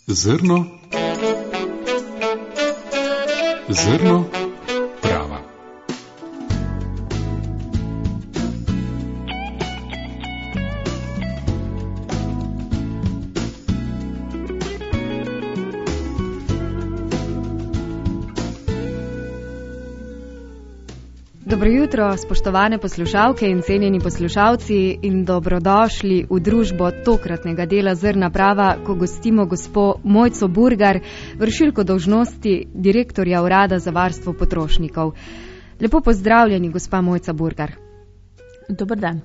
Zrno prava. Dobro jutro, spoštovane poslušalke in cenjeni poslušalci, in dobrodošli v družbo tokratnega dela Zrna prava, ko gostimo gospo Mojco Burgar, vršilko dolžnosti direktorja Urada za varstvo potrošnikov. Lepo pozdravljeni, gospa Mojca Burgar. Dober dan.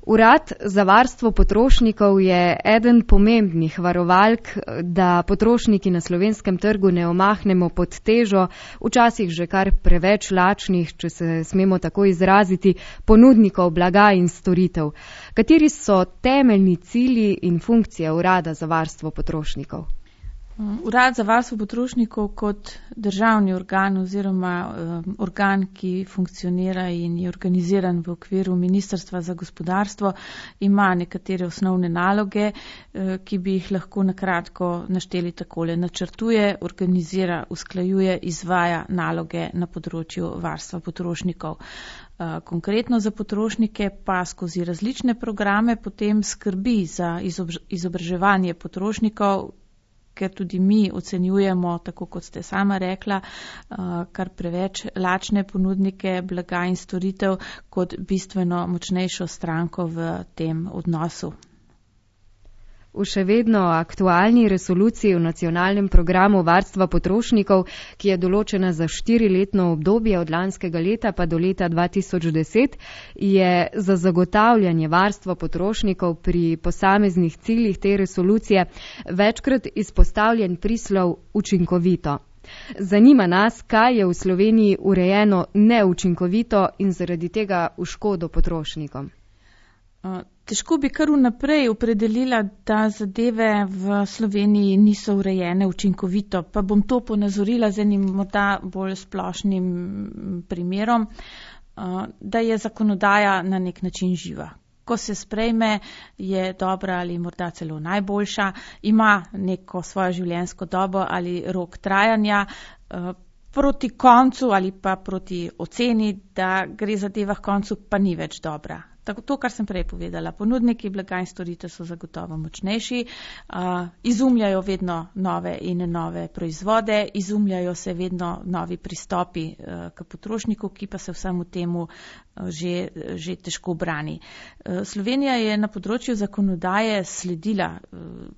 Urad za varstvo potrošnikov je eden pomembnih varovalk, da potrošniki na slovenskem trgu ne omahnemo pod težo, včasih že kar preveč lačnih, če se smemo tako izraziti, ponudnikov blaga in storitev. Kateri so temeljni cilji in funkcije Urada za varstvo potrošnikov? Urad za varstvo potrošnikov kot državni organ oziroma organ, ki funkcionira in je organiziran v okviru Ministrstva za gospodarstvo, ima nekatere osnovne naloge, ki bi jih lahko na kratko našteli takole. Načrtuje, organizira, usklajuje, izvaja naloge na področju varstva potrošnikov. Konkretno za potrošnike pa skozi različne programe potem skrbi za izobraževanje potrošnikov, ker tudi mi ocenjujemo, tako kot ste sama rekla, kar preveč lačne ponudnike blaga in storitev kot bistveno močnejšo stranko v tem odnosu. V še vedno aktualni resoluciji v nacionalnem programu varstva potrošnikov, ki je določena za 4-letno obdobje od lanskega leta pa do leta 2010, je za zagotavljanje varstva potrošnikov pri posameznih ciljih te resolucije večkrat izpostavljen prislov učinkovito. Zanima nas, kaj je v Sloveniji urejeno neučinkovito in zaradi tega v škodo potrošnikom. Težko bi kar vnaprej opredelila, da zadeve v Sloveniji niso urejene učinkovito, pa bom to ponazorila z enim morda bolj splošnim primerom, da je zakonodaja na nek način živa. Ko se sprejme, je dobra ali morda celo najboljša, ima neko svojo življenjsko dobo ali rok trajanja, proti koncu ali pa proti oceni, da gre zadeva k koncu, pa ni več dobra. To, kar sem prej povedala, ponudniki blaga in storitev so zagotovo močnejši, izumljajo vedno nove in nove proizvode, izumljajo se vedno novi pristopi k potrošniku, ki pa se vsemu temu že težko brani. Slovenija je na področju zakonodaje sledila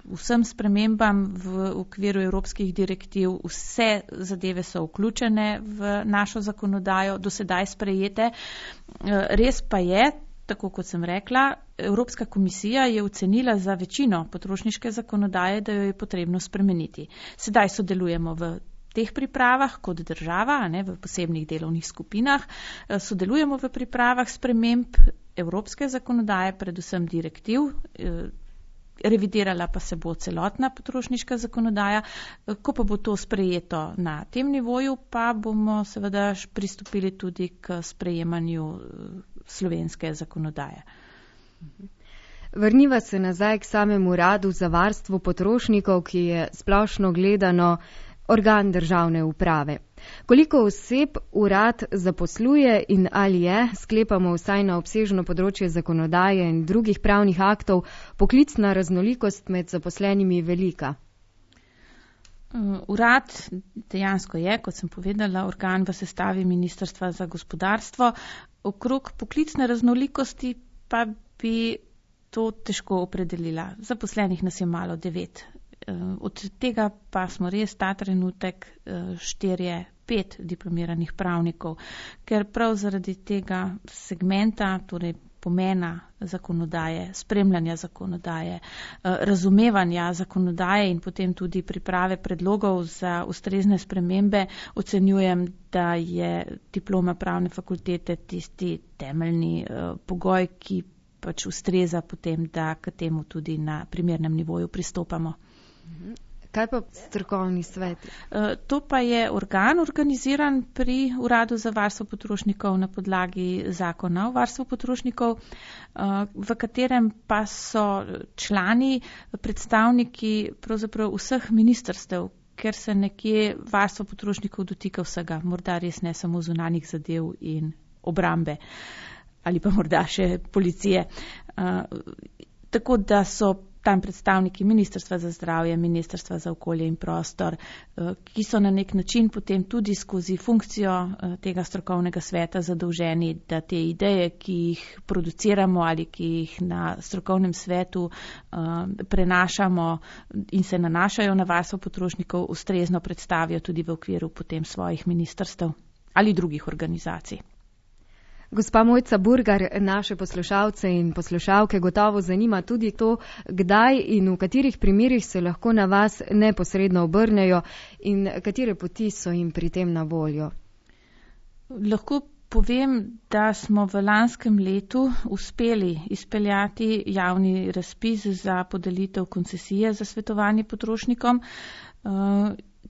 vsem spremembam v okviru evropskih direktiv, vse zadeve so vključene v našo zakonodajo, do sedaj sprejete. Res pa je, tako kot sem rekla, Evropska komisija je ocenila za večino potrošniške zakonodaje, da jo je potrebno spremeniti. Sedaj sodelujemo v teh pripravah kot država, v posebnih delovnih skupinah, sodelujemo v pripravah sprememb evropske zakonodaje, predvsem direktiv, revidirala pa se bo celotna potrošniška zakonodaja. Ko pa bo to sprejeto na tem nivoju, pa bomo seveda pristopili tudi k sprejemanju slovenske zakonodaje. Vrniva se nazaj k samemu Uradu za varstvo potrošnikov, ki je splošno gledano organ državne uprave. Koliko oseb urad zaposluje in ali je, sklepamo vsaj na obsežno področje zakonodaje in drugih pravnih aktov, poklicna raznolikost med zaposlenimi velika? Urad dejansko je, kot sem povedala, organ v sestavi Ministrstva za gospodarstvo. Okrog poklicne raznolikosti pa bi to težko opredelila. Zaposlenih nas je malo 9. Od tega pa smo res ta trenutek 4-5 diplomiranih pravnikov, ker prav zaradi tega segmenta, torej pomena zakonodaje, spremljanja zakonodaje, razumevanja zakonodaje in potem tudi priprave predlogov za ustrezne spremembe, ocenjujem, da je diploma pravne fakultete tisti temeljni pogoj, ki pač ustreza potem, da k temu tudi na primernem nivoju pristopamo. Kaj pa strokovni svet? To pa je organ organiziran pri Uradu za varstvo potrošnikov na podlagi zakona o varstvu potrošnikov, v katerem pa so člani, predstavniki pravzaprav vseh ministrstev, ker se nekje varstvo potrošnikov dotika vsega, morda res ne samo zunanjih zadev in obrambe ali pa morda še policije. Tako da so tam predstavniki Ministrstva za zdravje, Ministrstva za okolje in prostor, ki so na nek način potem tudi skozi funkcijo tega strokovnega sveta zadolženi, da te ideje, ki jih produciramo ali ki jih na strokovnem svetu prenašamo in se nanašajo na varstvo potrošnikov, ustrezno predstavijo tudi v okviru potem svojih ministrstev ali drugih organizacij. Gospa Mojca Burgar, naše poslušalce in poslušalke gotovo zanima tudi to, kdaj in v katerih primerih se lahko na vas neposredno obrnejo in katere poti so jim pri tem na voljo. Lahko povem, da smo v lanskem letu uspeli izpeljati javni razpis za podelitev koncesije za svetovanje potrošnikom,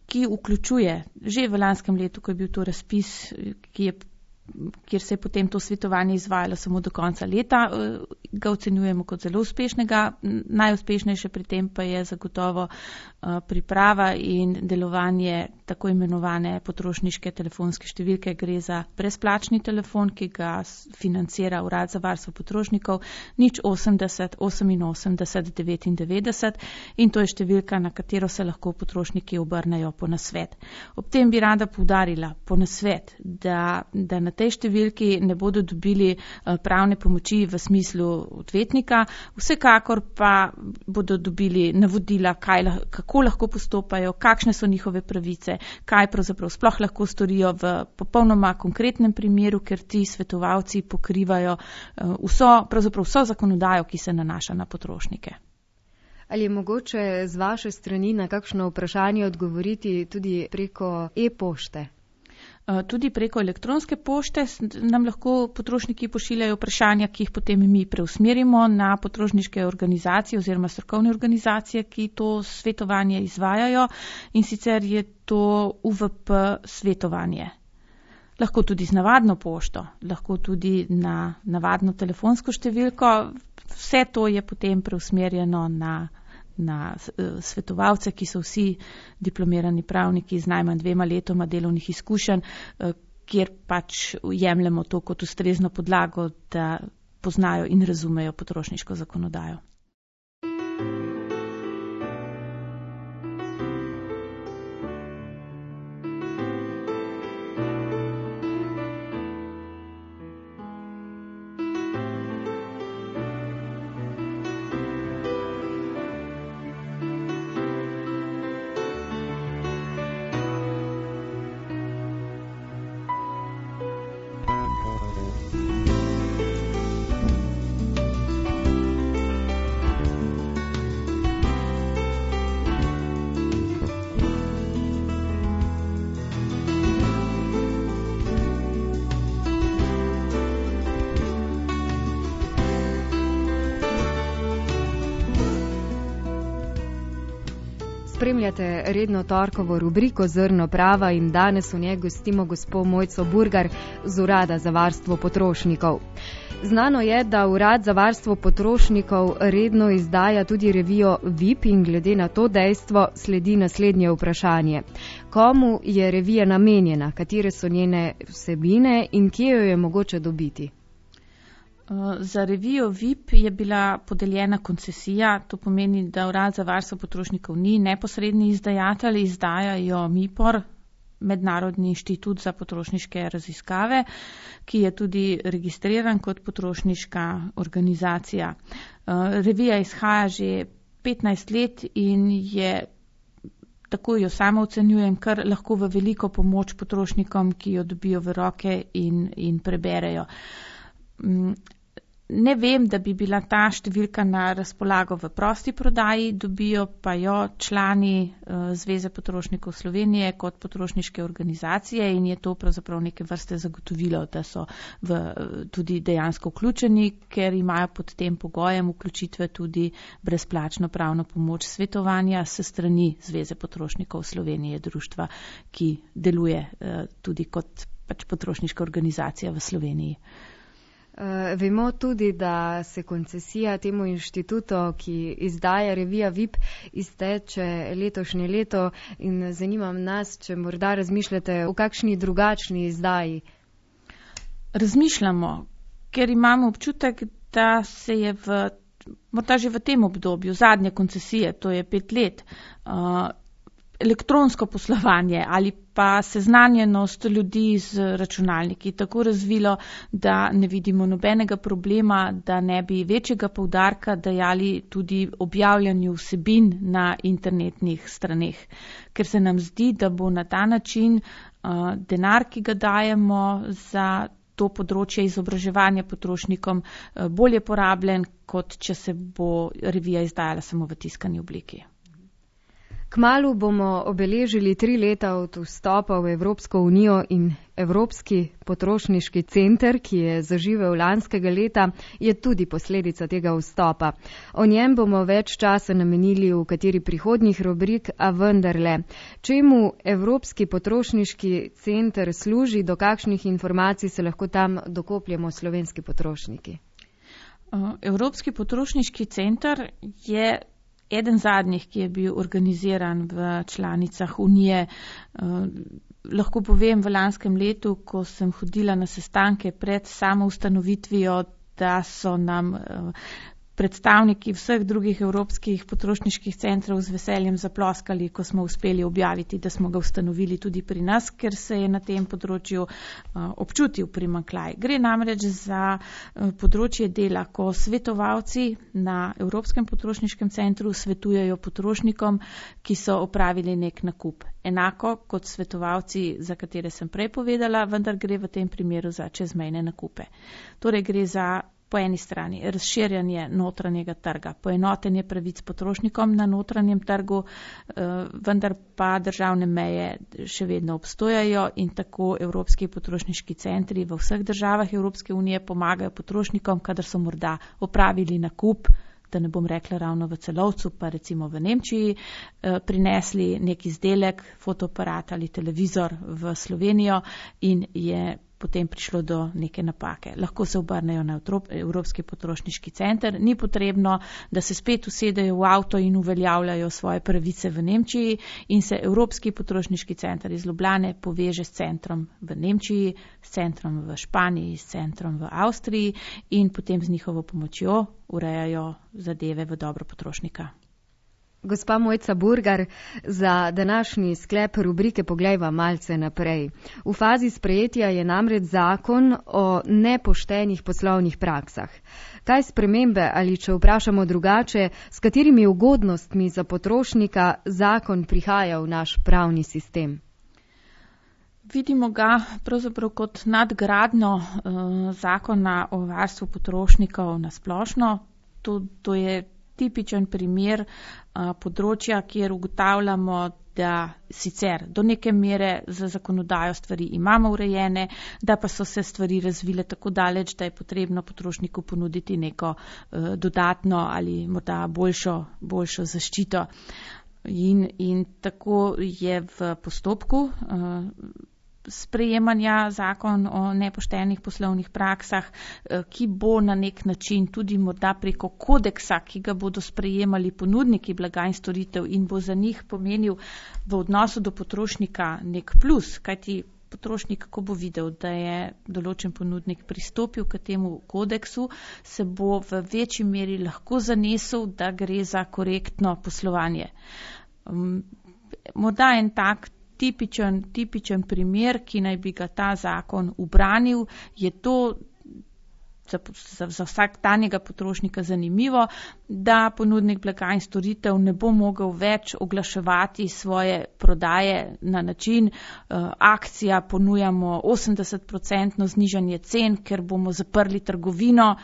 ki vključuje že v lanskem letu, ko je bil to razpis, kjer se je potem to svetovanje izvajalo samo do konca leta, ga ocenjujemo kot zelo uspešnega. Najuspešnejše pri tem pa je zagotovo priprava in delovanje tako imenovane potrošniške telefonske številke. Gre za brezplačni telefon, ki ga financira Urad za varstvo potrošnikov 080 88 99 in to je številka, na katero se lahko potrošniki obrnejo po nasvet. Ob tem bi rada poudarila po nasvet, da na tej številki ne bodo dobili pravne pomoči v smislu odvetnika, vsekakor pa bodo dobili navodila, kako lahko postopajo, kakšne so njihove pravice, kaj pravzaprav sploh lahko storijo v popolnoma konkretnem primeru, ker ti svetovalci pokrivajo vso zakonodajo, ki se nanaša na potrošnike. Ali je mogoče z vaše strani na kakšno vprašanje odgovoriti tudi preko e-pošte? Tudi preko elektronske pošte nam lahko potrošniki pošiljajo vprašanja, ki jih potem mi preusmerimo na potrošniške organizacije oziroma strokovne organizacije, ki to svetovanje izvajajo, in sicer je to UVP svetovanje. Lahko tudi z navadno pošto, lahko tudi na navadno telefonsko številko. Vse to je potem preusmerjeno na svetovalce, ki so vsi diplomirani pravniki z najmanj 2 letoma delovnih izkušenj, kjer pač jemljemo to kot ustrezno podlago, da poznajo in razumejo potrošniško zakonodajo. Spremljate redno torkovo rubriko Zrno prava in danes v njej gostimo gospo Mojco Burgar z Urada za varstvo potrošnikov. Znano je, da Urad za varstvo potrošnikov redno izdaja tudi revijo VIP in glede na to dejstvo sledi naslednje vprašanje. Komu je revija namenjena, katere so njene vsebine in kje jo je mogoče dobiti? Za revijo VIP je bila podeljena koncesija, to pomeni, da Urad za varstvo potrošnikov ni neposredni izdajatelj, izdajajo MIPOR, Mednarodni inštitut za potrošniške raziskave, ki je tudi registriran kot potrošniška organizacija. Revija izhaja že 15 let in je, tako jo sama ocenjujem, kar lahko v veliko pomoč potrošnikom, ki jo dobijo v roke in preberejo. Ne vem, da bi bila ta številka na razpolago v prosti prodaji, dobijo pa jo člani Zveze potrošnikov Slovenije kot potrošniške organizacije in je to pravzaprav neke vrste zagotovilo, da so tudi dejansko vključeni, ker imajo pod tem pogojem vključitve tudi brezplačno pravno pomoč svetovanja s strani Zveze potrošnikov Slovenije, društva, ki deluje tudi kot potrošniška organizacija v Sloveniji. Vemo tudi, da se koncesija temu inštitutu, ki izdaja revija VIP, izteče letošnje leto in zanima nas, če morda razmišljate o kakšni drugačni izdaji. Razmišljamo, ker imamo občutek, da se je morda že v tem obdobju zadnje koncesije, to je 5 let, elektronsko poslovanje ali pa seznanjenost ljudi z računalniki tako razvilo, da ne vidimo nobenega problema, da ne bi večjega poudarka dajali tudi objavljanju vsebin na internetnih straneh. Ker se nam zdi, da bo na ta način denar, ki ga dajemo za to področje izobraževanja potrošnikom, bolje porabljen, kot če se bo revija izdajala samo v tiskani obliki. Kmalu bomo obeležili 3 leta od vstopa v Evropsko unijo in Evropski potrošniški center, ki je zaživel lanskega leta, je tudi posledica tega vstopa. O njem bomo več časa namenili v kateri prihodnjih rubrik, a vendarle. Čemu Evropski potrošniški center služi, do kakšnih informacij se lahko tam dokopljemo slovenski potrošniki? Evropski potrošniški center je eden zadnjih, ki je bil organiziran v članicah Unije. Lahko povem, v lanskem letu, ko sem hodila na sestanke pred samo ustanovitvijo, da so nam predstavniki vseh drugih evropskih potrošniških centrov z veseljem zaploskali, ko smo uspeli objaviti, da smo ga ustanovili tudi pri nas, ker se je na tem področju občutil primanjkljaj. Gre namreč za področje dela, ko svetovalci na Evropskem potrošniškem centru svetujejo potrošnikom, ki so opravili nek nakup. Enako kot svetovalci, za katere sem prej povedala, vendar gre v tem primeru za čezmejne nakupe. Torej gre za po eni strani razširjanje notranjega trga, poenotenje pravic potrošnikom na notranjem trgu, vendar pa državne meje še vedno obstojajo in tako Evropski potrošniški centri v vseh državah Evropske unije pomagajo potrošnikom, kadar so morda opravili nakup, da ne bom rekla ravno v Celovcu, pa recimo v Nemčiji, prinesli nek izdelek, fotoaparat ali televizor v Slovenijo in je potem prišlo do neke napake. Lahko se obrnejo na Evropski potrošniški center, ni potrebno, da se spet usedejo v avto in uveljavljajo svoje pravice v Nemčiji in se Evropski potrošniški center iz Ljubljane poveže s centrom v Nemčiji, s centrom v Španiji, s centrom v Avstriji in potem z njihovo pomočjo urejajo zadeve v dobro potrošnika. Gospa Mojca Burgar, za današnji sklep rubrike Poglejva malce naprej. V fazi sprejetja je namreč zakon o nepoštenih poslovnih praksah. Kaj spremembe ali, če vprašamo drugače, s katerimi ugodnostmi za potrošnika zakon prihaja v naš pravni sistem? Vidimo ga pravzaprav kot nadgradnjo zakona o varstvu potrošnikov na splošno. To je tipičen primer področja, kjer ugotavljamo, da sicer do neke mere za zakonodajo stvari imamo urejene, da pa so se stvari razvile tako daleč, da je potrebno potrošniku ponuditi neko dodatno ali morda boljšo zaščito. In tako je v postopku sprejemanja zakon o nepoštenih poslovnih praksah, ki bo na nek način tudi morda preko kodeksa, ki ga bodo sprejemali ponudniki blaga in storitev in bo za njih pomenil v odnosu do potrošnika nek plus, kajti potrošnik, ko bo videl, da je določen ponudnik pristopil k temu kodeksu, se bo v večji meri lahko zanesel, da gre za korektno poslovanje. Morda en tak tipičen primer, ki naj bi ga ta zakon ubranil, je to za vsakdanjega potrošnika zanimivo, da ponudnik blaga in storitev ne bo mogel več oglaševati svoje prodaje na način akcija, ponujamo 80% znižanje cen, ker bomo zaprli trgovino,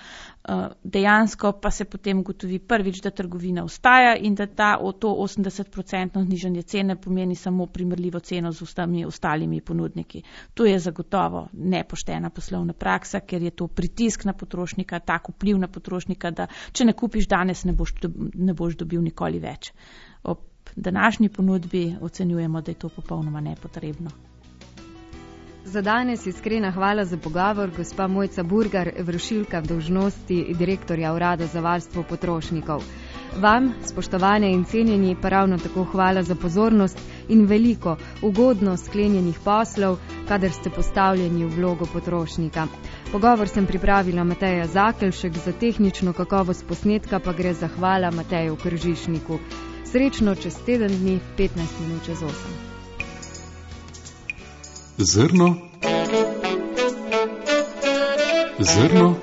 Dejansko pa se potem ugotovi prvič, da trgovina ostaja in da to 80% znižanje cene pomeni samo primerljivo ceno z vsemi ostalimi ponudniki. To je zagotovo nepoštena poslovna praksa, ker je to pritisk na potrošnika, tak vpliv na potrošnika, da če ne kupiš danes, ne boš dobil nikoli več. Ob današnji ponudbi ocenjujemo, da je to popolnoma nepotrebno. Za danes iskrena hvala za pogovor, gospa Mojca Burgar, vršilka dolžnosti direktorja Urada za varstvo potrošnikov. Vam, spoštovane in cenjeni, pa ravno tako hvala za pozornost in veliko ugodno sklenjenih poslov, kadar ste postavljeni v vlogo potrošnika. Pogovor sem pripravila Mateja Zakelšek, za tehnično kakovost posnetka pa gre zahvala Mateju Kržišniku. Srečno čez teden dni, 15 minut čez 8. Zrno